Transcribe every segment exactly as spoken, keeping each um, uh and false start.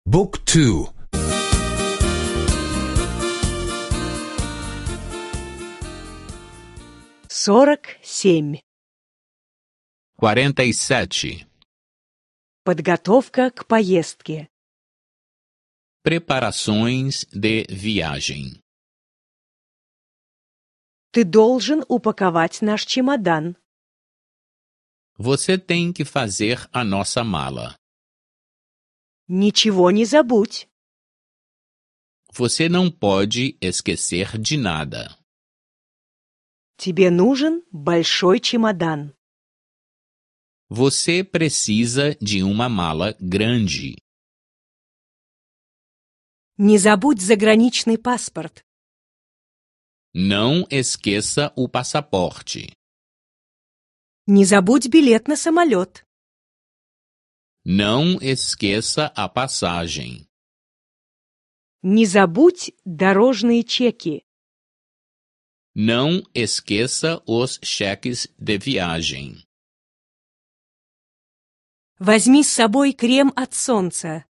Book two. сорок семь. quarenta e sete. Подготовка к поездке. Preparações de viagem. Ты должен упаковать наш чемодан. Você tem que fazer a nossa mala. Ничего не забудь. Você não pode esquecer de nada. Тебе нужен большой чемодан. Você precisa de uma mala grande. Не забудь заграничный паспорт. Não esqueça o passaporte. Не забудь билет на самолет. Não esqueça a passagem. Не забудь дорожные чеки. Não esqueça os cheques de viagem. Возьми с собой крем от солнца.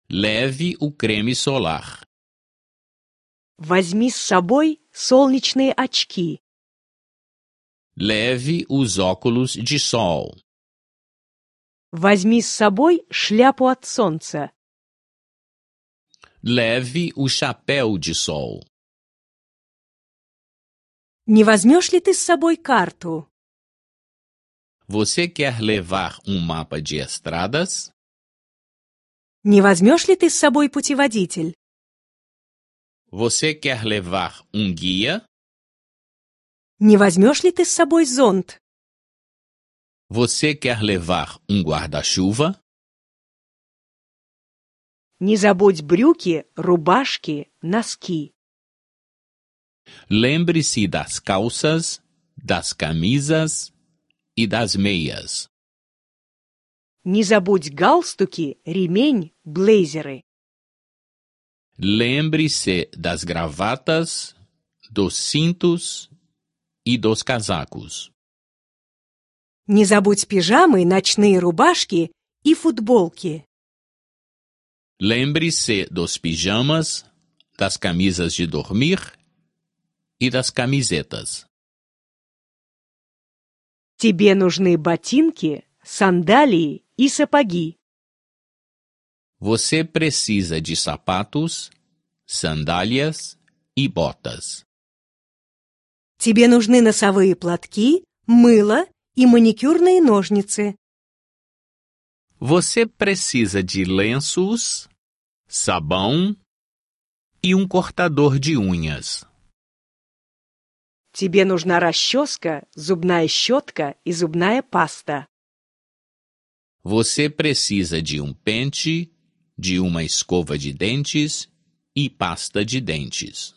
Leve o creme solar. Возьми с собой солнечные очки. Leve os óculos de sol. Возьми с собой шляпу от солнца. Leve o chapéu de sol. Не возьмешь ли ты с собой карту? Você quer levar um mapa de estradas? Не возьмешь ли ты с собой путеводитель? Você quer levar um guia? Не возьмешь ли ты с собой зонт? Você quer levar um guarda-chuva? Не забудь брюки, рубашки, носки. Lembre-se das calças, das camisas e das meias. Не забудь галстуки, ремень, блейзеры. Lembre-se das gravatas, dos cintos e dos casacos. Не забудь пижамы, ночные рубашки и футболки. Lembre-se dos pijamas, das camisas de dormir e das camisetas. Тебе нужны ботинки, сандалии и сапоги. Você precisa de sapatos, sandálias e botas. Тебе нужны носовые платки, мыло и маникюрные ножницы. Você precisa de lenços, sabão e um cortador de unhas. Тебе нужна расческа, зубная щетка и зубная паста. Você precisa de um pente, de uma escova de dentes e pasta de dentes.